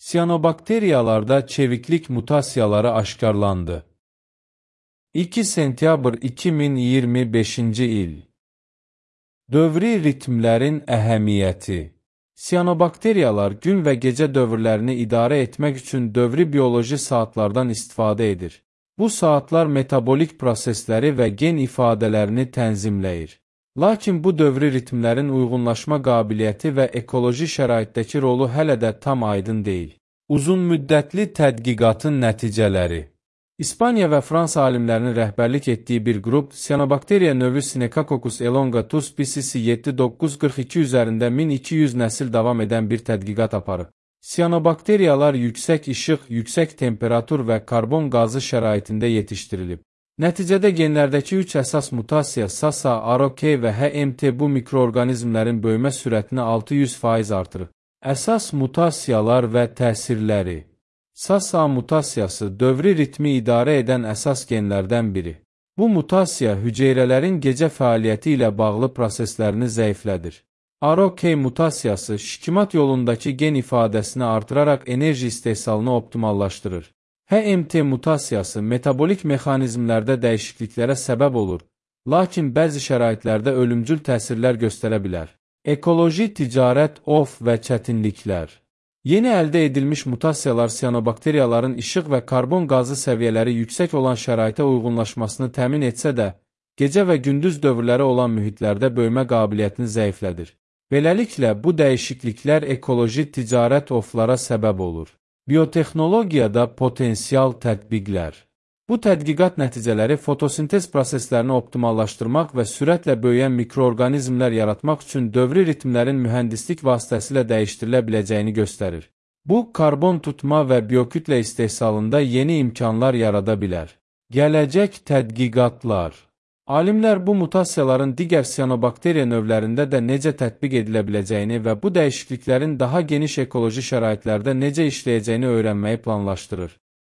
Siyanobakteriyalarda çeviklik mutasiyaları aşkarlandı. 2 sentyabr 2025-ci il. Dövri ritmlərin əhəmiyyəti. Siyanobakteriyalar gün və gecə dövrlərini idarə etmək üçün dövri bioloji saatlardan istifadə edir. Bu saatlar metabolik prosesləri və gen ifadələrini tənzimləyir. Lakin bu dövri ritmlərin uyğunlaşma qabiliyyəti və ekoloji şəraitdəki rolu hələ də tam aydın deyil. Uzunmüddətli tədqiqatın nəticələri. İspaniya və Fransa alimlərinin rəhbərlik etdiyi bir qrup, siyanobakteriya növü Synechacoccus elongatus species 7942 üzərində 1200 nəsil davam edən bir tədqiqat aparıb. Siyanobakteriyalar yüksək işıq, yüksək temperatur və karbon qazı şəraitində yetişdirilib. Nəticədə genlərdəki 3 əsas mutasiya SASA, ROK və HMT bu mikroorqanizmlərin böyümə sürətini 600% artırıb. Əsas mutasiyalar və təsirləri. SASA mutasiyası dövri ritmi idarə edən əsas genlərdən biri. Bu mutasiya hüceyrələrin gecə fəaliyyəti ilə bağlı proseslərini zəiflədir. ROK mutasiyası şikimat yolundakı gen ifadəsini artıraraq enerji istehsalını optimallaşdırır. HMT mutasiyası metabolik mexanizmlərdə dəyişikliklərə səbəb olur, lakin bəzi şəraitlərdə ölümcül təsirlər göstərə bilər. Ekoloji, ticarət, və çətinliklər. Yeni əldə edilmiş mutasiyalar siyanobakteriyaların işıq və karbon qazı səviyyələri yüksək olan şəraitə uyğunlaşmasını təmin etsə də, gecə və gündüz dövrləri olan mühitlərdə böyümə qabiliyyətini zəiflədir. Beləliklə, bu dəyişikliklər ekoloji, ticarət oflara səbəb olur. Biotexnologiyada potensial tətbiqlər. Bu tədqiqat nəticələri fotosintez proseslərini optimallaşdırmaq və sürətlə böyüyən mikroorqanizmlər yaratmaq üçün dövri ritmlərin mühəndislik vasitəsilə dəyişdirilə biləcəyini göstərir. Bu, karbon tutma və biokütlə istehsalında yeni imkanlar yarada bilər. Gələcək tədqiqatlar. Alimlər bu mutasiyaların digər siyanobakteriya növlərində də necə tətbiq edilə biləcəyini və bu dəyişikliklərin daha geniş ekoloji şəraitlərdə necə işləyəcəyini öyrənməyi planlaşdırır.